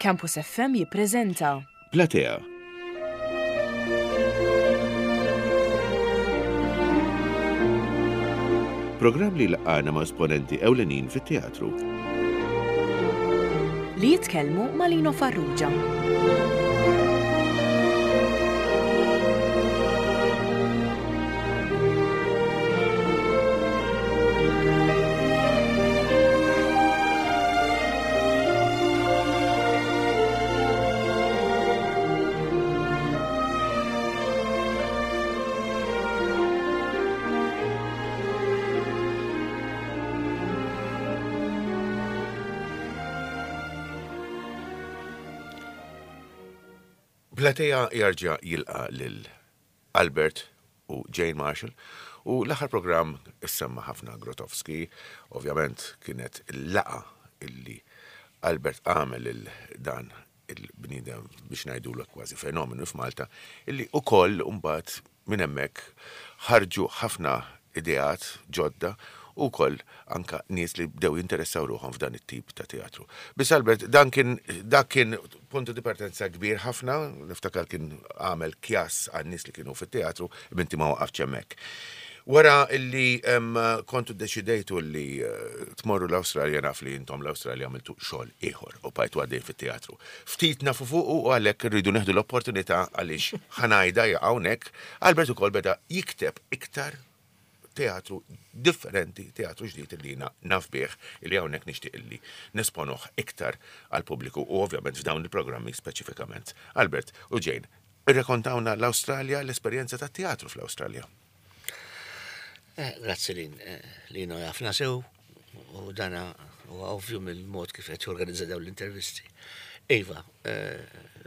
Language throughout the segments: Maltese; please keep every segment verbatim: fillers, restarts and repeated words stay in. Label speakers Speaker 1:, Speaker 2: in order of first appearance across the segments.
Speaker 1: Campus F M jippreżenta
Speaker 2: Platea. Programm li laqana ma' esponenti ewlenin fit-teatru.
Speaker 1: Li jitkellmu ma' Lino Farrugia.
Speaker 2: Platea jarġa' jilqa' lil Albert u Jane Marshall u l-aħħar programm issemma ħafna Grotowski, ovvjament kienet il-laqa illi Albert għamel lil dan il-bniedem biex ngħidulu kważi fenomenu f'Malta, illi ukoll mbagħad minn hemmhekk ħarġu ħafna ideat ġodda u wkoll anka nies li bdew jinteressaw ruħhom f'dan it-tip ta' teatru. Biss Albert, dan kien dak kien punto di partenza kbir ħafna, niftakar kien għamel kjas għan nies li kienu fit-teatru, binti ma waqafx hemmhekk. Wara illi em, kontu deċidejtu li eh, tmorru l-Awstralja, naf li intom l-Awstralja għamiltu xogħol ieħor u bqajtu għaddejn fit-teatru. Ftit nafu fuq u għalhekk irridu neħdu l-opportunità għaliex ħa ngħidha hawnhekk, Albert ukoll beda jikteb iktar teatru differenti, teatru ġdid li jiena naf bih, li hawnhekk nixtieq illi nesponuh iktar għal pubbliku u ovvjament f'dawn il-programmi speċifikament. Albert u Jane, irrekontawna l-Awstralja, l-esperjenza tat-teatru fl-Awstralja.
Speaker 3: Eh, Grazzi Lin, eh, Lino jafna sew u dana huwa ovvju mill-mod kif qed jorganizza dawn l-intervisti. Iva, eh,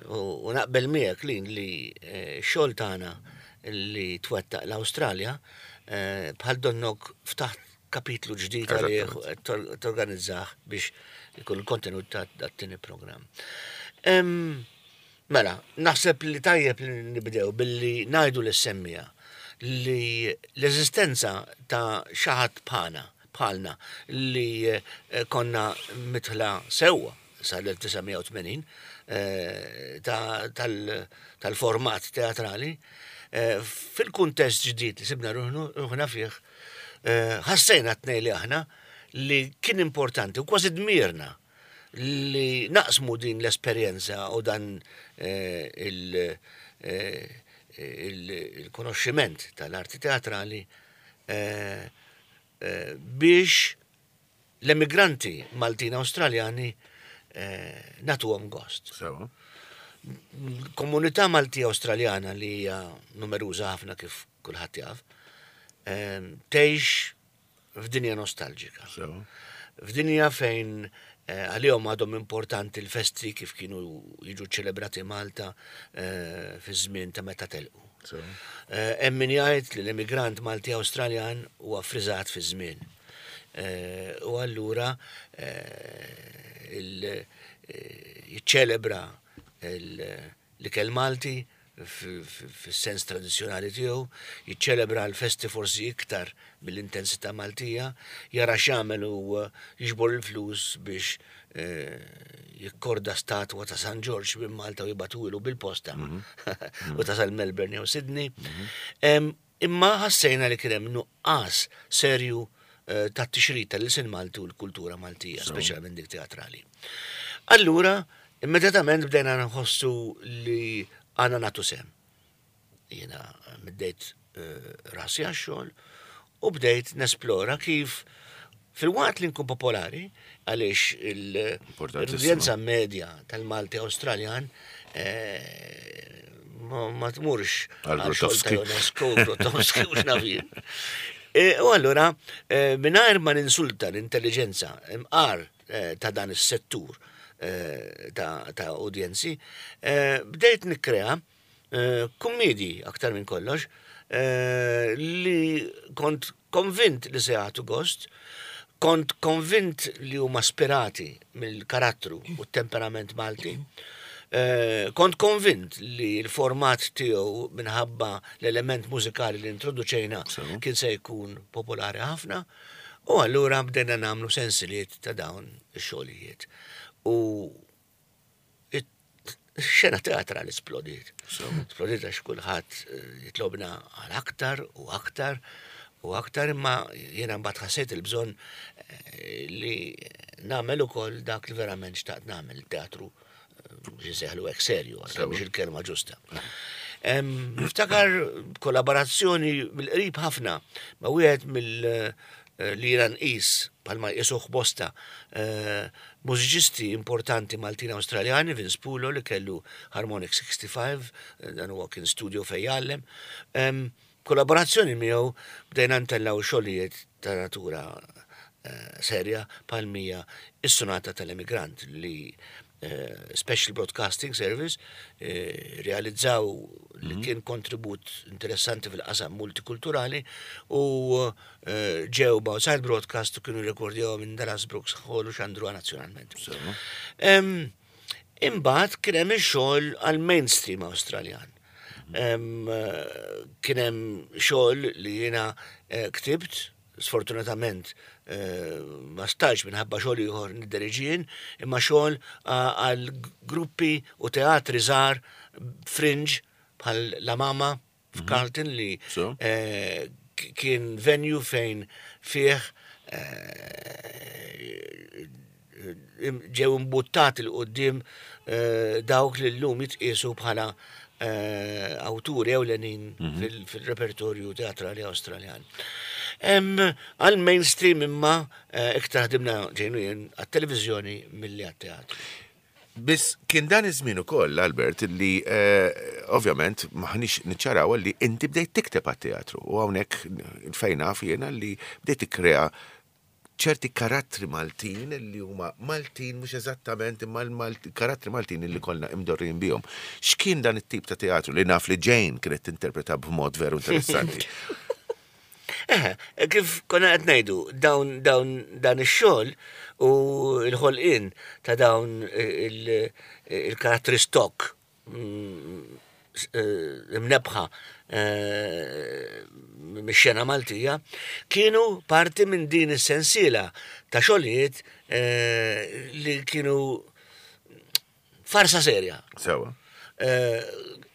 Speaker 3: u u naqbel miegħek, Lin, li eh, xogħol tagħna li twettaq l-Awstralja eh, bħal donnok ftaħt kapitlu ġdid għalih u qed tor- torganizzah biex ikun il-kontenut ta' dat-tieni programm. Em, Mela, naħseb li tajjeb li nibdew billi ngħidu lis-semmiegħa li l-eżistenza ta' xi ħadd bħalna, bħalna li eh, konna midħla sewwa sal-elf disa' mija u tmenin eh, ta- tal- tal-format teatrali, eh, fil-kuntest ġdid li sibna ruħnu- ruħna fih, eh, ħassejna t-tnejn li aħna li kien importanti u kważi dmirna li naqsmu din l-esperjenza u dan eh, il- eh, il- il-konoxximent tal-arti teatrali eh, eh, biex l-emigranti Maltin Awstraljani eh, nagħtuhom gost.
Speaker 2: Sewa.
Speaker 3: Komunità Malti Awstraljana, li hija numeruża ħafna kif kulħadd jaf, eh, tgħix f'dinja nostalġika.
Speaker 2: Sewa.
Speaker 3: F'dinja fejn eh, għalihom għadhom importanti l-festi kif kienu jiġu ċelebrati Malta eh, fi żmien ta' meta telqu.
Speaker 2: Sewa.
Speaker 3: Eh, Hemm min jgħid li l-emigrant Malti Awstraljan huwa friżat fi żmien. Eh, U allura eh, il- eh, jiċċelebra il- l-ikel Malti f- f- fis-sens tradizzjonali tiegħu, jiċċelebra l-festi forsi iktar mill-intensità Maltija, jara x'jagħmel u eh, jiġbor il-flus biex eh, jikkorda statwa ta' San Ġorġ minn Malta u jibagħtuhielu bil-posta u tasal Melbourne jew Sydney. Em, Imma ħassejna li kien hemm nuqqas serju eh, ta' tixrid tal-ilsien Malti u l-kultura Maltija, speċjalment dik teatrali. Allura, immedjatament bdejna nħossu li għandna nagħtu sehem. Jiena middejt eh, rasi għax-xogħol u bdejt nesplora kif fil-waqt li nkun popolari, għaliex
Speaker 2: Importantissimo.
Speaker 3: l-udjenza medja tal-Malti Awstraljan eh, ma ma tmurx
Speaker 2: Għal
Speaker 3: għal xogħol ta'
Speaker 2: Grotowski.
Speaker 3: Ionesco, Grotowski u x'naf jien. E, U allura, eh, mingħajr ma ninsulta l-intelligenza imqar eh, ta' dan is-settur eh, ta' ta' udjenzi, eh, bdejt nikkrea eh, kummedji aktar minn kollox eh, li kont konvint li se jagħtu gost, kont konvint li huma spirati mill-karattru u t-temperament Malti. Eh, kont konvint li l-format tiegħu minħabba l-element mużikali li introduċejna
Speaker 2: Sew.
Speaker 3: kien se jkun popolari ħafna u allura bdejna nagħmlu sensiliet ta' dawn ix-xogħlijiet. U Xena teatrali splodiet. Splodiet għax kulħadd eh, jitlobna għal aktar u aktar u aktar imma jiena mbagħad ħassejt il-bżonn eh, li nagħmel ukoll dak li verament xtaqt nagħmel teatru eh, seħlu hekk serju, għal biex il-kelma ġusta. Niftakar kollaborazzjoni mill-qrib ħafna ma' wieħed mill- li jiena nqis bħalma jqisuh bosta eh, mużiċisti importanti Maltin Awstraljani, Vince Pulo li kellu Harmonic sixty-five, eh, dan huwa kien studio fejn jgħallem. Kollaborazzjoni miegħu bdejna ntellgħu xogħlijiet ta' natura eh, serja bħal mija is-Sonata tal-Emigrant li Special Broadcasting Service realizzaw li mhm. kien kontribut interessanti fil-qasam multikulturali u ġew Outside Broadcast u kienu rekordjaw minn Dallas Brooks Hall u xandruha nazzjonalment. Imbagħad kien hemm ix-xogħol għal mainstream Awstraljan. Kien hemm xogħol li jiena ktibt, sfortunatament ma stajtx minħabba xogħol ieħor nidderiġi, imma xogħol għal gruppi u teatri żgħar fringe bħal La Mama f'Carlton li kien venue fejn fih ġew imbuttati 'l quddiem dawk li llum jitqiesu bħala awturi ewlenin fil-repertorju teatrali Awstraljan. Għal mainstream imma iktar ħdimna ġejnu jien għat-televiżjoni milli għat-teatru.
Speaker 2: Biss kien dan iż-żmien ukoll, Albert, li ovvjament maħniex niċċaraw li inti bdejt tikteb għat-teatru u hawnhekk fejn naf jiena li bdejt tikkrea ċerti karattri Maltin li huma Maltin mhux eżattament imma l-karattri Maltin li kollna imdorrin bihom. X'kien dan it-tip ta' teatru li naf li Jane kienet tinterpreta b'mod veru interessanti?
Speaker 3: Eh, kif konna qed ngħidu, dawn dawn dan ix-xogħol u l-ħolqien ta' dawn il-karattri stock imnebħa mix-xena Maltija kienu parti minn din is-sensiela ta' xogħlijiet li kienu farsa serja.
Speaker 2: Sewa.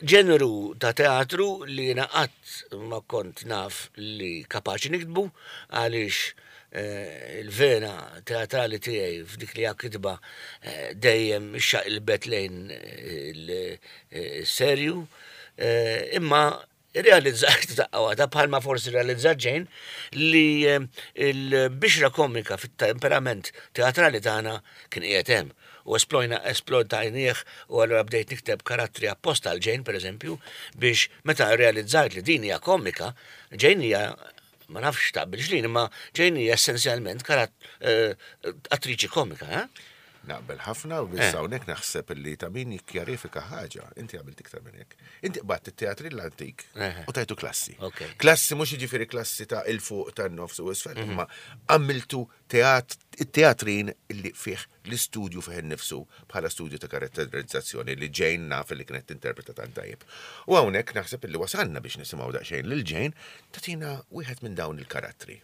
Speaker 3: Ġeneru ta' teatru li jiena qatt ma kont naf li kapaċi niktbu għaliex il-vena teatrali tiegħi f'dik li hija kitba dejjem xaqilbet lejn il-serju, imma realizzajt daqqa waħda bħalma forsi realizzat Jane li l-bixra komika fit-temperament teatrali tagħna kien qiegħed hemm u esplojna esplojtajnieh u allura bdejt nikteb karattri apposta għal Jane pereżempju biex meta realizzajt li din hija komika, Jane hija ma nafx taqbilx lin, imma Jane hija essenzjalment attriċi komika, eh?
Speaker 2: Naqbel ħafna u biss hawnhekk naħseb li ta' min jikkjarifika ħaġa, inti għamilt iktar minn hekk. Inti qbadt it-teatri l-antik u tajtu klassi. Klassi mhux jiġifieri klassi ta' il-fuq tan-nofs u isfel, imma għamiltu teatrin li fih l-istudju fih innifsu bħala studju ta' karatterizzazzjoni li Jane naf li kienet tinterpreta tant tajjeb. U hawnhekk naħseb li wasalna biex nisimgħu daqsxejn lil Jane tagħtina wieħed minn dawn il-karattri.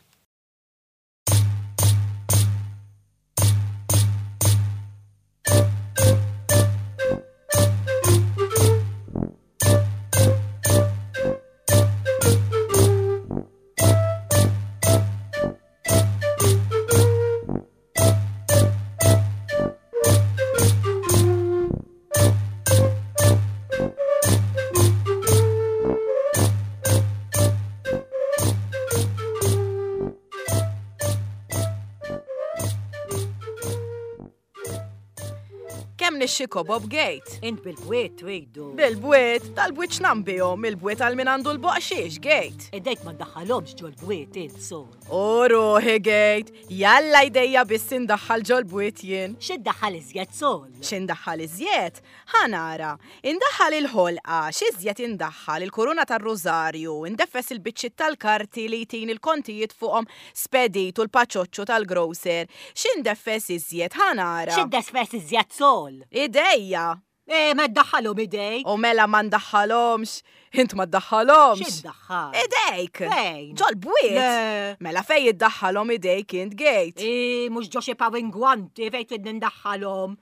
Speaker 1: Nixxiko Bob Gate.
Speaker 4: Int bil-bwiet tridu.
Speaker 1: Bil-bwiet, tal-bwiet x'nambihom, il-bwiet għal min għandu l-boqxiex, Gate.
Speaker 4: Idejk ma ddaħħalhomx ġol-bwiet int sol.
Speaker 1: U ruħi Gate, jalla jdejja biss indaħħal ġol-bwiet jien.
Speaker 4: X'iddaħħal iżjed sol?
Speaker 1: X'indaħħal iżjed? Ħa nara, indaħħal il-ħolqa, x'iżjed indaħħal il-kuruna tar-rużarju, indeffes il-biċċiet tal-karti li jtin il-kontijiet fuqhom spedit u l-paċoċċu tal-grocer. X'indeffes iżjed? Ħa nara.
Speaker 4: X'indeffes iżjed sol?
Speaker 1: Idejja.
Speaker 4: E, ma ddaħħalhom idejk.
Speaker 1: U mela ma ndaħħalhomx. Int ma ddaħħalhomx.
Speaker 4: X'iddaħħal?
Speaker 1: Idejk.
Speaker 4: Fejn?
Speaker 1: Ġol-bwiet.
Speaker 4: Le.
Speaker 1: Mela fej iddaħħalhom idejk int Gate.
Speaker 4: E, mhux ġo xi pawingwanti fejn trid nindaħħalhom.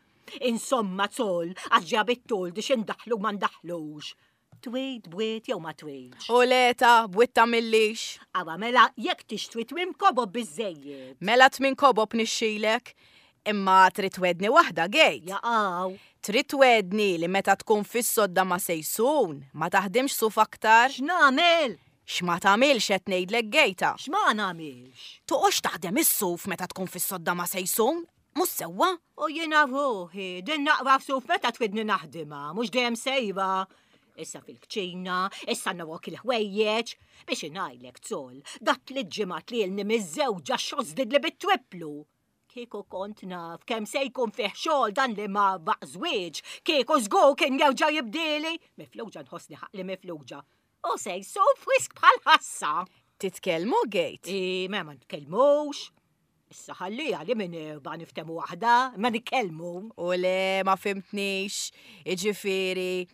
Speaker 4: Insomma, Sol, għax ġabit tul di xindaħlu ma ndaħlux. Twid, bwiet jew ma twidx.
Speaker 1: U leta, bwiet tagħmillix.
Speaker 4: Awa mela, jekk tixtri tmien kobob biżejjed.
Speaker 1: Mela tmien kobob nixxilek. Imma trid twedni waħda, Gejt.
Speaker 4: Jaqaw.
Speaker 1: Trid twedni li meta tkun fis-sodda ma sejsun, ma taħdimx suf aktar.
Speaker 4: X'nagħmel?
Speaker 1: X'ma tagħmilx qed ngħidlek Gejta.
Speaker 4: X'ma nagħmilx?
Speaker 1: Toqgħodx taħdem is-suf meta tkun fis-sodda ma sejsun, mhux sewwa?
Speaker 4: U jiena ruħi, din naqra f'suf meta twidni naħdimha, mhux dejjem sejra. Issa fil-kċina, issa nawok il-ħwejjeġ, biex ingħajlek Sol, dat li ġimgħat li ilni miżżewġa xożdid li bit-triplu. Kieku kont naf kemm se jkun fih xogħol dan li ma baq żwieġ, kieku żgur kien jerġa' jibdieli, mifluġa nħossni ħaqli mifluġa. U se jsuf frisk bħal ħassa.
Speaker 1: Titkellmu Gejt?
Speaker 4: I, ma ma nitkellmux. Issa ħallija li minn erba' niftemu waħda, ma nitkellmu.
Speaker 1: U le, ma fimtnix, iġifieri,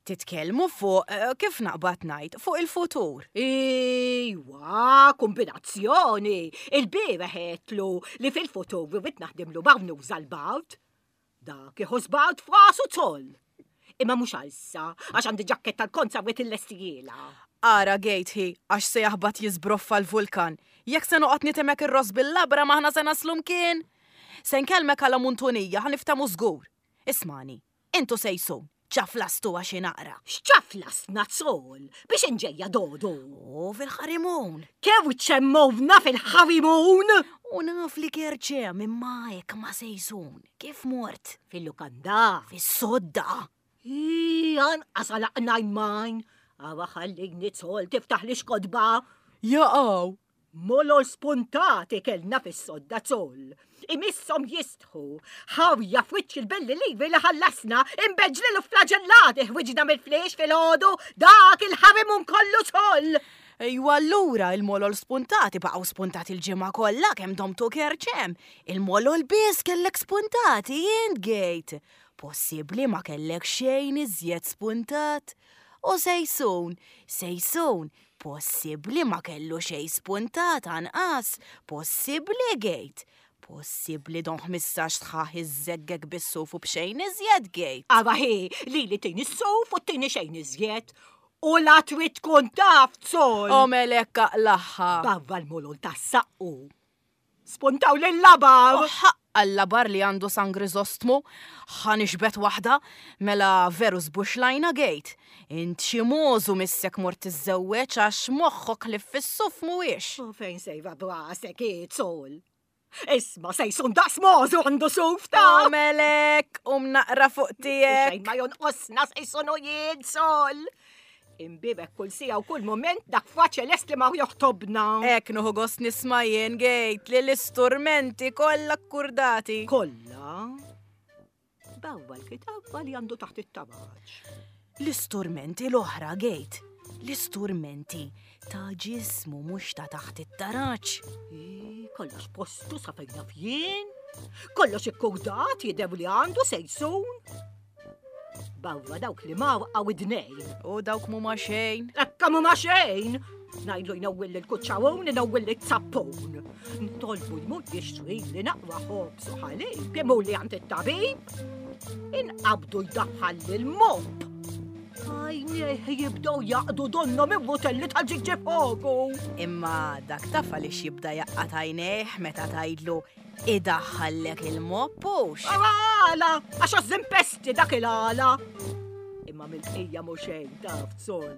Speaker 1: titkellmu fuq, eh, kif naqbad ngħid, fuq il-futur.
Speaker 4: Iwa, kombinazzjoni. Il-bieraħ għedtlu li fil-futur irrid naħdimlu barnuża l-bard. Dak iħoss bard f'rasu Sol. Imma mhux għalissa, għax għandi ġakketta tal-konza wet il-lestijiela.
Speaker 1: Ara Gejt hi, għax se jaħbat jiżbroffa l-vulkan. Jekk se noqgħod nitemek ir-ross bil-labra maħna se naslu mkien. Se nkellmek għala muntunija, ħa niftehmu żgur. Ismani, intu sejsun, ċaflastu għax inaqra.
Speaker 4: X'ċaflasna Sol biex inġejja dodu?
Speaker 1: U fil-ħarimun.
Speaker 4: Kew ċemmovna fil-ħarimun?
Speaker 1: U naf li kerċem imma hekk ma sejsun. Kif mort?
Speaker 4: Fil-lukanda.
Speaker 1: Fis-sodda.
Speaker 4: Ii, anqas għalaqna jmajn. Awa ħallini Sol tiftaħ li xkodba.
Speaker 1: Jaqaw.
Speaker 4: Molol spuntati kellna fis-sodda Sol. Imisshom jistħu. Ħawja f'wiċċ il-belli livi li ħallasna, imbeġlilu flagellati ħwiġna mill-fliex fil-ħodu, dak il-ħarimun kollu Sol.
Speaker 1: Ejwa allura il-molol spuntati baqgħu spuntati l-ġimgħa kollha kemm domtu kerċem. Il-molol biss kellek spuntati int Gejt. Possibbli ma kellek xejn iżjed spuntat. U sejsun, sejsun, possibbli ma kellu xejn spuntat anqas, possibbli Gejt. Possibbli don ħmistax sħaħ iżżeggek bis-suf u b'xejn iżjed Gejt.
Speaker 4: Ara hi, li li tini s-suf u tini xejn iżjed. U la trid tkun taf Sol.
Speaker 1: O melek aqlaħħa.
Speaker 4: Barra l-molol tas-saqqu. Spuntaw lil-labar.
Speaker 1: U ħaqqa l-labar li għandu San Grizostmu, ħa nixbet waħda, mela veru żbuxlajna Gejt. Int xi możu missek mort tiżżewweġ għax moħħok li fis-suf mhuwiex.
Speaker 4: U fejn sejra brasek Sol? Isma sejsun daqs możu għandu suf ta'
Speaker 1: O melek, um naqra fuq tiegħek.
Speaker 4: Xejn ma jonqosna sejsun u jien Sol. Imbibek kull sija u kull moment dak faċe lest li ma joħtobna.
Speaker 1: Ek nuħu gost nisma' jien Gejt li l-isturmenti kollha kkurdati.
Speaker 4: Kollha? Bawwa l-kitabba li għandu taħt it-tabaċ.
Speaker 1: L-isturmenti l-oħra Gejt. L-isturmenti ta' ġismu mhux ta' taħt it-taraċ.
Speaker 4: Ii, kollox postu sa fejn naf jien. Kollox ikkurdat jidher li għandu sejsun. Bawwa dawk li ma waqgħu id-dnejn.
Speaker 1: U dawk mhuma xejn.
Speaker 4: Ekka mhuma xejn. Ngħidlu jnewwil il-kuċċawun, inewwil it-zappun. Ntolbu jmur jixtri li naqwa ħobż u ħalib, imur li għand it-tabib. Inqabdu jdaħħal lil-mob. Għajnejh jibdew jaqdu donhom ir-rutelli tal-ġigġifogu.
Speaker 1: Imma dak taf għaliex jibda jaqqat għajnejh meta tgħidlu idaħħallek il-mob hux.
Speaker 4: Għala, għax għaż-żimpesti dak il-għala. Imma mill-bqija mhu xejn taf Sol.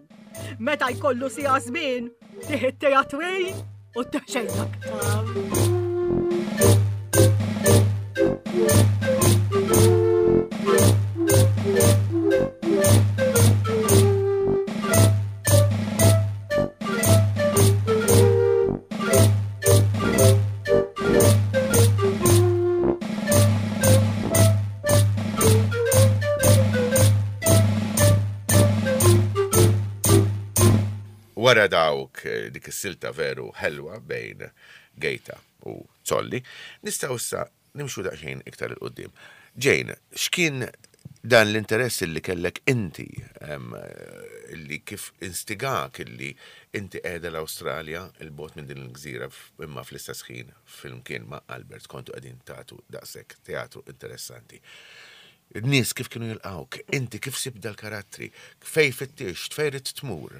Speaker 4: Meta jkollu sija żmien, tieħ it-teatrin u xejn aktar.
Speaker 2: Wara dawk, eh, dik is-silta veru ħelwa bejn Gejta u Zolli, nistgħu issa nimxu daqsxejn iktar 'il quddiem. Jane, x'kien dan l-interess li kellek inti, em, li kif instigak illi inti qiegħda l-Awstralja il-bot minn din il-gżira imma fl-istess ħin flimkien ma' Albert kontu qegħdin tagħtu daqshekk teatru interessanti. In-nies kif kienu jilqawk, inti kif sibt dal-karattri, fej fittixt, fej ridt tmur?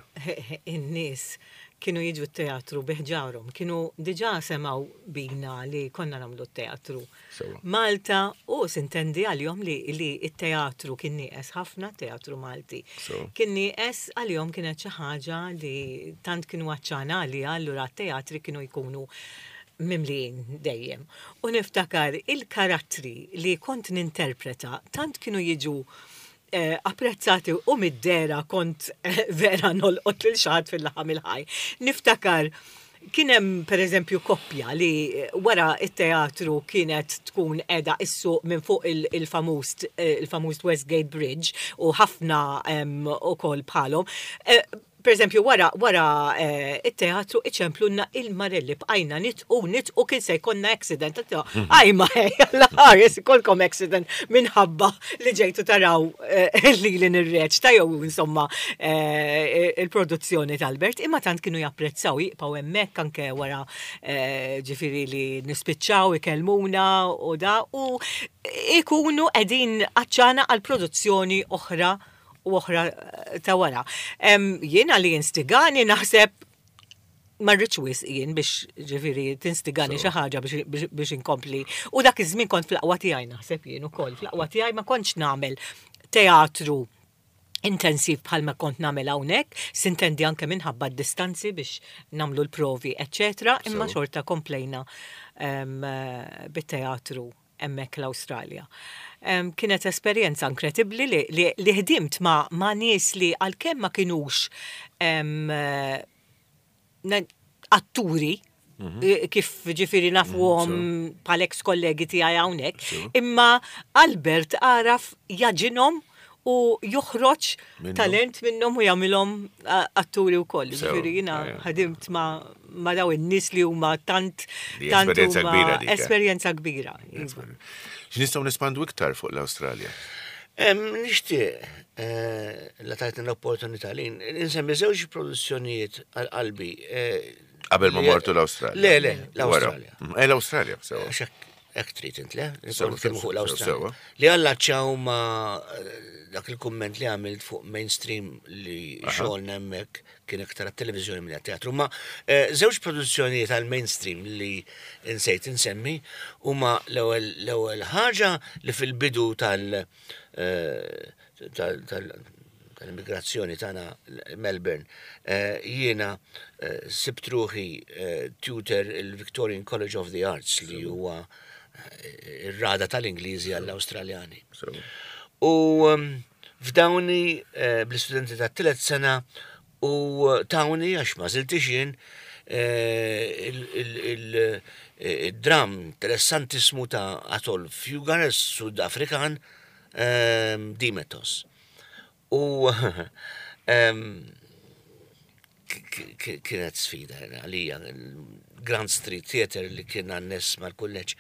Speaker 5: In-nies kienu jiġu t-teatru bi ħġarhom, kienu diġà semgħu bina li konna nagħmlu t-teatru.
Speaker 2: Sewa.
Speaker 5: Malta u sintendi għalihom li, li t-teatru kien nieqes ħafna, teatru Malti.
Speaker 2: Sewa.
Speaker 5: Kien nieqes għalihom kienet xi ħaġa li tant kienu għatxana għalija, allura t-teatri kienu jkunu mimlijin dejjem. U niftakar il-karattri li kont ninterpreta tant kienu jiġu eh, apprezzati u mid-dehra kont eh, vera nolqot lil xi ħadd fil-laħam il-ħaj. Niftakar kien hemm per eżempju koppja li eh, wara it-teatru kienet tkun qiegħda issuq minn fuq il- il-famuż eh, il-famuż Westgate Bridge u ħafna em, ukoll bħalhom. Eh, Per eżempju, wara, wara eh, it-teatru iċemplunna il-Marelli bqajna nidħku nidħku kien se jkollna accident. Għaj ma ħares ikolkom accident minħabba li ġejtu taraw eh, li li nirreċta jew insomma eh, il-produzzjoni tal-Albert, imma tant kienu japprezzaw jibqgħu hemmhekk anke wara eh, ġifieri li nispiċċaw ikellmuna u da u ikunu qegħdin għatxana għal produzzjoni oħra u oħra eh, ta' wara. Em, Jiena li instigani naħseb ma rridx wisq jien biex ġifieri tinstigani xi ħaġa biex- biex biex inkompli. U dak iż-żmien kont fl-aqwa tiegħi naħseb jien ukoll. Fl-aqwa tiegħi ma kontx nagħmel teatru intensiv bħalma kont nagħmel hawnhekk, sintendi anke minħabba d-distanzi biex nagħmlu l-provi, eccetera, imma
Speaker 2: So.
Speaker 5: xorta komplejna em, eh, bit-teatru hemmhekk l-Awstralja. Em, Kienet esperjenza inkredibbli li, li, li ħdimt ma, ma nies li għalkemm ma kinux em, eh, na- atturi, eh, kif ġifieri nafuhom bħal ex kollegi tiegħi hawnhekk, imma Albert għaraf jagħġinhom u joħroġ
Speaker 2: Minnhom.
Speaker 5: talent minnhom u jagħmilhom eh, atturi wkoll.
Speaker 2: Sew,
Speaker 5: Ġifieri jiena
Speaker 2: ejja.
Speaker 5: ħadimt ma, ma daw in-nies li huma tant
Speaker 2: Di
Speaker 5: tant
Speaker 2: esperjenza
Speaker 5: huma
Speaker 2: kbira dik, eh.
Speaker 5: Esperjenza kbira. Iva.
Speaker 2: X'nistgħu nespandu iktar fuq l-Awstralja?
Speaker 3: Em, Nixtieq, eh, la tajtni l-opportunità li nsemmi żewġ produzzjonijiet għal qalbi. eh,
Speaker 2: Qabel ma
Speaker 3: li-
Speaker 2: mortu l-Awstralja.
Speaker 3: Le, le,
Speaker 2: Wara.
Speaker 3: l-Awstralja.
Speaker 2: Mm, Eh, l-Awstralja, sewa.
Speaker 3: Għax hekk hekk trid int, le?
Speaker 2: Sewa,
Speaker 3: Nitkellmu fuq
Speaker 2: sewa,
Speaker 3: l-Awstralja.
Speaker 2: sewa.
Speaker 3: Li allaċċaw ma eh, dak il-kumment li għamilt fuq mainstream li xogħolna hemmhekk kien iktar għat-televiżjoni minn teatru. Ma eh, żewġ produzzjonijiet għal mainstream li insejt insemmi huma l-ewwel l-ewwel ħaġa li fil-bidu tal- eh, tal- tal- tal-immigrazzjoni tagħna Melbourne, eh, jiena eh, sibt ruħi eh, tutor il-Victorian College of the Arts li huwa eh, ir-rada tal-Ingliżi għall-Awstraljani.
Speaker 2: Sewa.
Speaker 3: U um, f'dawni eh, bl-istudenti ta' tielet sena u tawni għax ma żiltix jien eh, il- il- il- eh, il-dram interessantissimu ta' Athol Fugard, Sud-Afrikan, ehm, Dimetos. U ehm, k- k- kienet sfida għalija. Grand Street Theatre li kien għannes mal-kulleġġ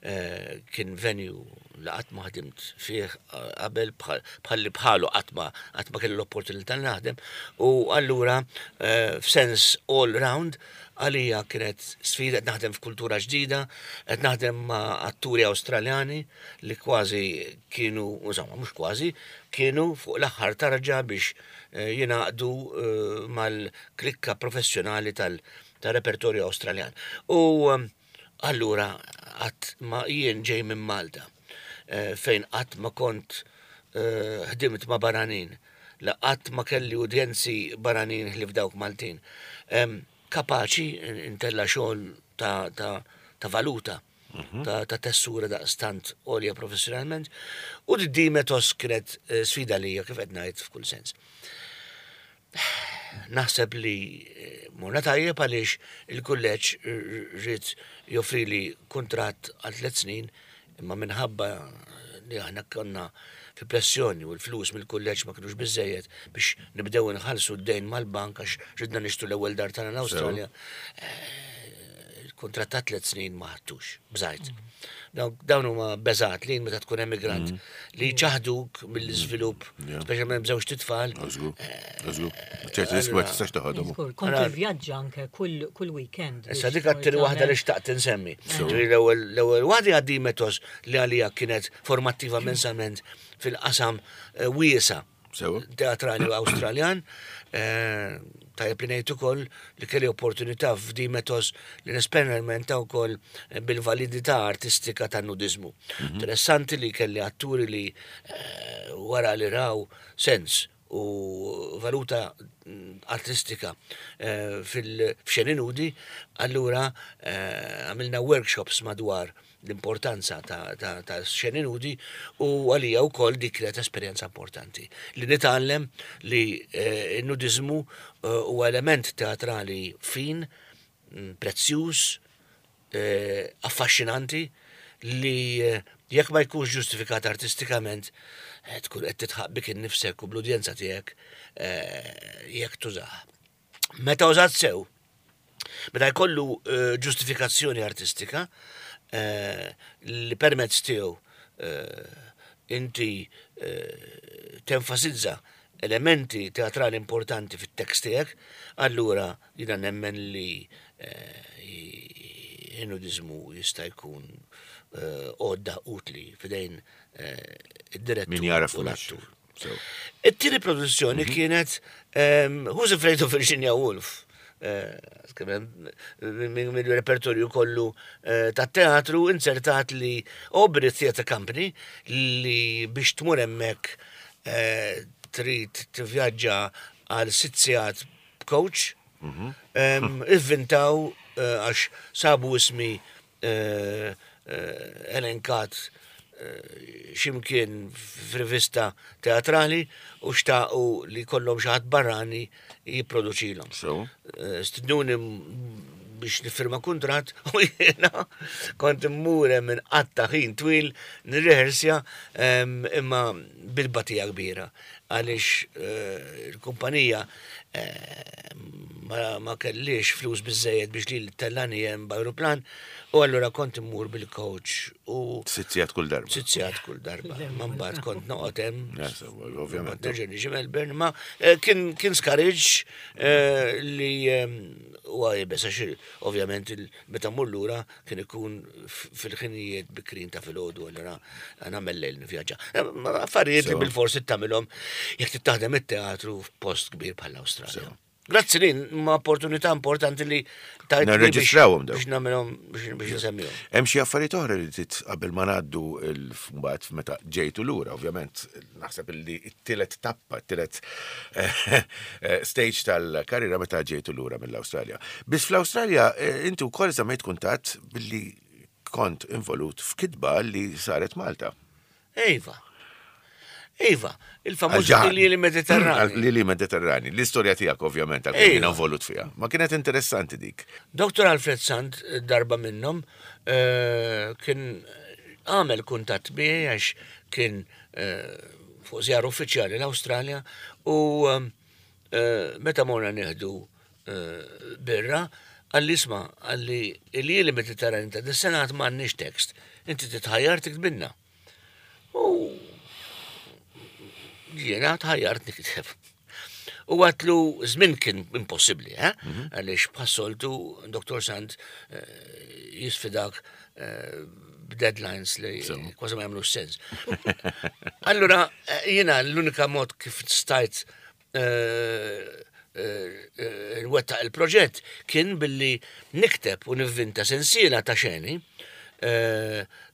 Speaker 3: eh, kien venue li qatt ma ħdimt fih eh, qabel bħal li bħalu qatt ma qatt ma kelli l-opportunità li naħdem u allura eh, f'sens all round għalija kienet sfida qed naħdem f'kultura ġdida, qed naħdem ma' atturi Awstraljani li kważi kienu, insomma, mhux kważi, kienu fuq l-aħħar tarġa biex eh, jingħaqdu eh, mal-klikka professjonali tal- tal-repertorju Awstraljan. U um, allura qatt ma jien ġej minn Malta, eh, fejn qatt ma kont eh, ħdimt ma' barranin, la qatt ma kelli udjenzi barranin ħlief dawk Maltin. Em, Kapaċi intella xogħol ta', ta, ta' valuta, ta', ta' tessura daqstant għolja professjonalment, u d-Dimetos kienet eh, sfida lija kif qed ngħid f'kull sens. Naħseb li eh, morna tajjeb għaliex il-kulleġġ ried joffri li kuntratt għal tliet snin, imma minħabba li aħna konna fi pressjoni u l-flus mill-kulleġġ ma kinux biżejjed biex nibdew nħallsu d-dejn mal-bank għax ridna nixtru l-ewwel dar tagħna l-Awstralja. Eh, Kuntratt ta' tliet snin ma ħadtux, bżajt. Dawn huma beżat li meta tkun emigrant li ċaħduk mill-iżvilupp, speċjalment b'żewġt itfal.
Speaker 2: Ċertu riskju ma tistax toħodhom.
Speaker 5: Kont tivvjaġġa anke kull weekend.
Speaker 3: Issa dik għat-tieni waħda li xtaqt insemmi. L-ewwel waħda għaddi metos li għalija kienet formattiva immensament fil-qasam wiesa' teatrali Awstraljan. Tajjeb li ngħid ukoll li kelli opportunità f'di metos li nesperimenta wkoll bil-validità artistika tan-nudizmu. Interessanti li kelli atturi li wara li raw sens u valuta artistika fil-xeni nudi, allura għamilna workshops madwar l-importanza ta' xeni nudi u għalija u koll dik kienet esperjenza importanti. Li nitgħallem li n-nudizmu huwa element teatrali fin, prezzjuż, affaxxinanti, li jekk ma jkunx ġustifikat artistikament, tkun qed titħaq bik innifsek u bl-udjenza tiegħek jekk tużah. Meta użat sew, meta jkollu ġustifikazzjoni artistika, li permezz tiegħu inti tenfasizza elementi teatrali importanti fit-tekst tiegħek, allura jiena nemmen li il-nudizmu jista' jkun għodda utli f'idejn id-direttur.
Speaker 2: Min jaraf
Speaker 3: u l-attur. It-tieni produzzjoni kienet Who's Afraid of Virginia Woolf? Mill-repertorju kollu ta' teatru insertat li Aubrey Theatre Company li biex tmur hemmhekk trid tivvjaġġa għal sitt sigħat b'coach, ivvintaw għax sabu ismi elenkat ximkien f'rivista teatrali u xtaqu li kollhom xi ħadd barrani jipproduċilhom. Stidnuni biex nifirma kuntratt u jiena kont immur hemm inqatta' ħin twil nirrehersja imma bil-batija kbira għaliex il-kumpanija ma kellix flus biżejjed biex li tellani hemm b'ajruplan u allura kont immur bil-coach u
Speaker 2: Sitt sigħat kull darba.
Speaker 3: Sitt sigħat kull darba. Ma mbagħad kont noqgħod hemm.
Speaker 2: Ovvjament.
Speaker 3: Nerġa' niġi Melbourne, ma kien kien skariġġ li huwa iebes għax ovvjament meta mmur lura kien ikun fil-ħinijiet bikrin ta' filgħodu allura nagħmel lejl nivvjaġġa. Affarijiet li bil-forsi tagħmilhom jekk titaħdem it-teatru f'post kbir bħall-Awstralja. Grazzi lin, ma opportunità importanti li tajt
Speaker 2: Nirreġistrawhom dawn.
Speaker 3: Biex nagħmilhom biex nsemmihom.
Speaker 2: Hemm xi affarijiet oħra li trid qabel ma ngħaddu mbagħad meta ġejtu lura, ovvjament, naħseb li t-tielet tappa, t-tielet stage tal-karriera meta ġejtu lura mill-Awstralja. Biss fl-Awstralja inti wkoll żammejt kuntatt billi kont involut f'kitba li saret Malta.
Speaker 3: Iva. Iva, il-famuż Lili Mediterrani.
Speaker 2: Lili Mediterrani, l-istorja tiegħek ovvjament għal kien involut fiha. Ma kienet interessanti dik.
Speaker 3: Doktor Alfred Sant darba minnhom kien għamel kuntatt miegħi għax kien fuq żjara uffiċjali l-Awstralja u meta morna nieħdu birra, għalli isma' għalli il-Lili Mediterrani ta' dis-senat m'għandniex tekst, inti titħajjar tiktbinna. U jiena tħajjart nikteb. U għatlu żmien kien impossibbli, eh? Għaliex bħas-soltu Doktor Sant jisfidak b'deadlines li kważi ma jagħmlux sens. Allura jiena l-unika mod kif stajt nwettaq il-proġett kien billi nikteb u nivvinta sensiela ta' xeni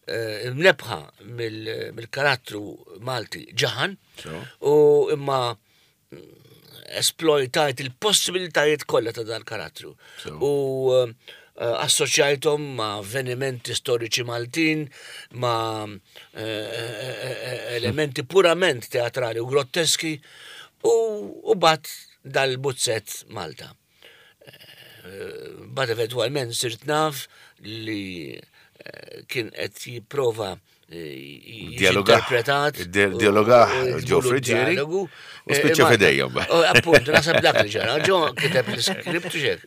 Speaker 3: mnebħa mill-karattru Malti Ġaħan u imma esploitajt il-possibilitajiet kollha ta' dal-karattru. U assoċjajthom ma' avvenimenti storiċi Maltin, ma' elementi purament teatrali u grotteski u bat dal-buzzett Malta. Bat eventwalment sirt naf li eh, kien qed jipprova eh,
Speaker 2: Dialogah.
Speaker 3: interpretat.
Speaker 2: Di- dialogah Joe Friggieri u spiċċa f'idejhom.
Speaker 3: Appunt, naħseb dak li ġara. Joe kiteb l-iskript u xek.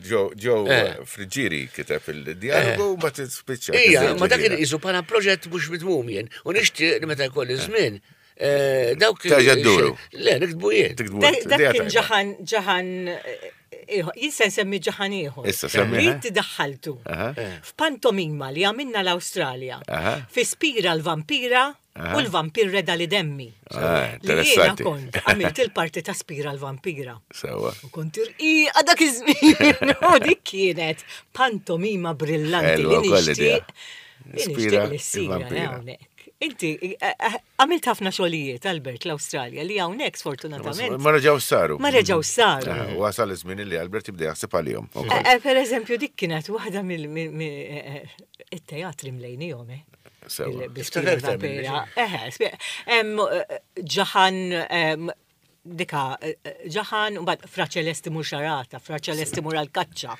Speaker 2: Joe Joe
Speaker 3: Eh.
Speaker 2: Friggieri kiteb il-dialogu u mbagħad spiċċa.
Speaker 3: Ija, ma dak kien qisu bħala proġett mhux mitmum jien. U nixtieq li meta jkolli żmien. eh, Dawk.
Speaker 2: Terġa' dduru.
Speaker 3: Le, niktbu jien.
Speaker 2: Tiktbu
Speaker 5: Dak
Speaker 2: idea
Speaker 5: dak kien
Speaker 2: tajba.
Speaker 5: ġaħan, ġaħan, eh, ieħor. Jien se nsemmi ġaħan ieħor.
Speaker 2: Issa semmi,
Speaker 5: Li
Speaker 2: eh?
Speaker 5: inti daħħaltu
Speaker 2: Aha.
Speaker 5: f'pantomima li għamilna l-Awstralja.
Speaker 2: Aha.
Speaker 5: Fi Spira l-Vampira u l-Vampir Reda li demmi.
Speaker 2: Ah,
Speaker 5: Li jiena
Speaker 2: interessanti.
Speaker 5: kont għamilt il-parti ta' Spira l-Vampira.
Speaker 2: Sewa.
Speaker 5: U kont irqiqa dak iż-żmien. U dik kienet pantomima brillanti
Speaker 2: Ħelwa
Speaker 5: li
Speaker 2: wkoll idea.
Speaker 5: nixtieq. Li
Speaker 2: Spira
Speaker 5: nixtieq li ssir
Speaker 2: il-vampira.
Speaker 5: hawnhekk. Inti eh, eh, għamilt ħafna xogħlijiet Albert l-Awstralja li hawnhekk sfortunatament
Speaker 2: Ma reġgħu saru.
Speaker 5: ma reġgħu saru.
Speaker 2: Ah, Wasal iż-żmien li Albert jibda jaħseb għalihom. ukoll.
Speaker 5: Eh, eh, Per eżempju, dik kienet waħda mill-teatri mlejnijom, eh?
Speaker 2: Sewa.
Speaker 5: Il-
Speaker 3: Tiftakar aktar minni,
Speaker 5: bil-vampira. Eħe, spie- em, eh, Ġaħan, em, dika, eh, ġaħan, u mbagħad Fra Ċelesti mur xarata, Fra Ċelesti mur għal-kaċċa.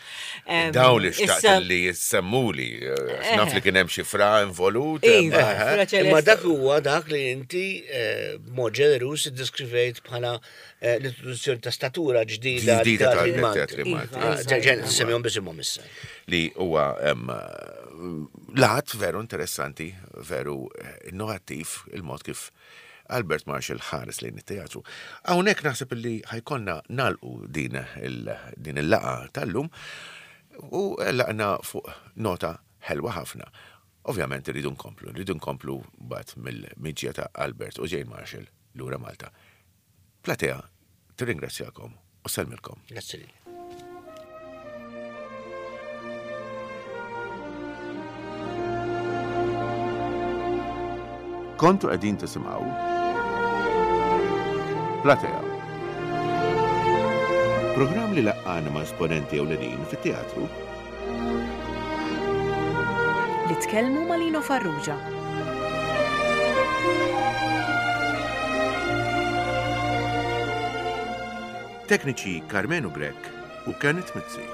Speaker 5: Em,
Speaker 2: Daw li xtaqt
Speaker 5: issa-
Speaker 2: li jissemmuli, eh, naf li kien hemm xi fra involut.
Speaker 5: Iva,
Speaker 2: eh,
Speaker 5: Fra
Speaker 3: Imma
Speaker 5: Ċelesti.
Speaker 3: dak huwa dak li inti eh, b'mod ġenerus iddeskrivejt bħala eh, l-introduzzjoni ta' statura ġdida
Speaker 2: Ġdida
Speaker 3: tal-teatri
Speaker 2: tal-teatri
Speaker 3: Malti.
Speaker 2: Malti.
Speaker 3: Ah, ġen- Semmihom bisimhom issa.
Speaker 2: Li huwa em, lat veru interessanti, veru eh, innovattiv il-mod kif Albert Marshall ħares lejn it-teatru. Hawnhekk naħseb li ħajkonna nalqu din il- din il-laqa tal-lum u laqna fuq nota ħelwa ħafna. Ovvjament irridu nkomplu, rridu nkomplu bat mill-miġja ta' Albert u Jane Marshall lura Malta. Platea, tirringrazzjakom u sellmilkom.
Speaker 3: Grazzi lilek.
Speaker 2: Kontu qegħdin tisimgħu Platea. Programm li laqqana ma' esponenti ewlenin fit-teatru
Speaker 1: Li tkellmu ma' Lino Farrugia.
Speaker 2: Tekniċi Carmenu Grek u Kenneth Mizzi.